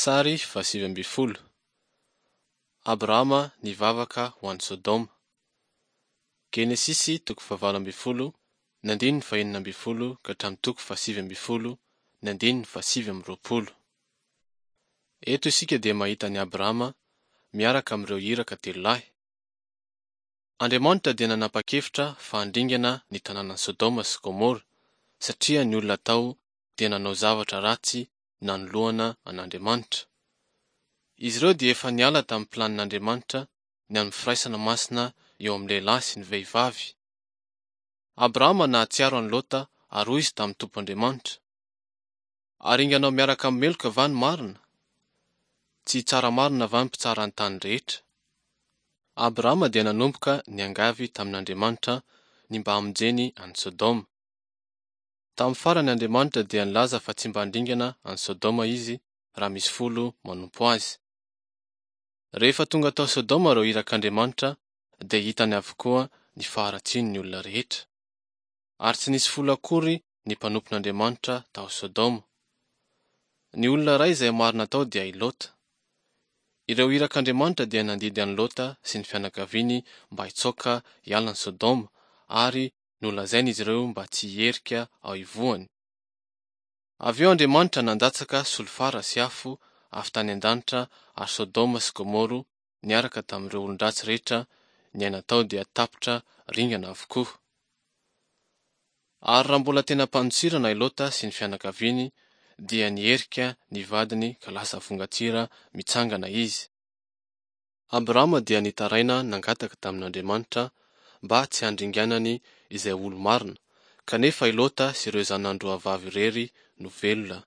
Sary fahasivy ambin'ny folo. Abrahama nivavaka ho an'i Sodoma. Genesisy toko fahavalo ambin'ny folo, ny andininy fahenina ambin'ny folo ka hatramin'ny toko fahasivy ambin'ny folo, ny andininy fahasivy amby roapolo. Eto isika dia mahita an'i Abrahama miaraka amin'ireo iraka telo lahy. Andriamanitra dia nanapa-kevitra fa handringana ny tanànan'i Sodoma sy Gomora satria ny olona tao dia nanao zavatra ratsy nanoloana an'Andriamanitra. Izy ireo dia efa niala tamin'ny planin'Andriamanitra ny amin'ny firaisana masina eo amin'ny lehilahy sy ny vehivavy. Abrahama nahatsiaro an'i Lota ary hoy izy tamin'ny Tompo Andriamanitra, Aringanao miaraka amin'ny meloka va ny marina? Tsy hitsara marina va ny mpitsara ny tany rehetra? Abrahama dia nanomboka niangavy tamin'Andriamanitra ny mba hamonjeny an'i Sodoma. Tamin'ny farany Andriamanitra dia nilaza fa tsy mba handringana an'i Sodoma Izy raha misy folo manompo Azy. Rehefa tonga tao Sodoma ireo irak'Andriamanitra dia hitany avokoa ny faharatsian'ny olona rehetra. Ary tsy nisy folo akory ny mpanompon'Andriamanitra tao Sodoma. Ny olona iray izay marina tao dia i Lota. Ireo irak'Andriamanitra dia nandidy an'i Lota sy ny fianakaviany mba hitsoaka hiala an'i Sodoma ary nolazainy izy ireo mba tsy hiherika ao ivohony. Avy eo Andriamanitra nandatsaka solifara sy afo avy tany an-danitra ary Sodoma sy Gomoro niaraka tamin'ireo olon-dratsy rehetra niaina tao dia tapitra ringana avokoa. Ary raha mbola tena am-pandosirana i Lota sy ny fianakaviany dia niherika ny vadiny ka lasa vongan-tsira mitsangana izy. Abrahama dia nitaraina nangataka tamin'Andriamanitra mba tsy handringanany izay olo-marina, kanefa i Lota sy ireo zanany roa vavy irery no velona.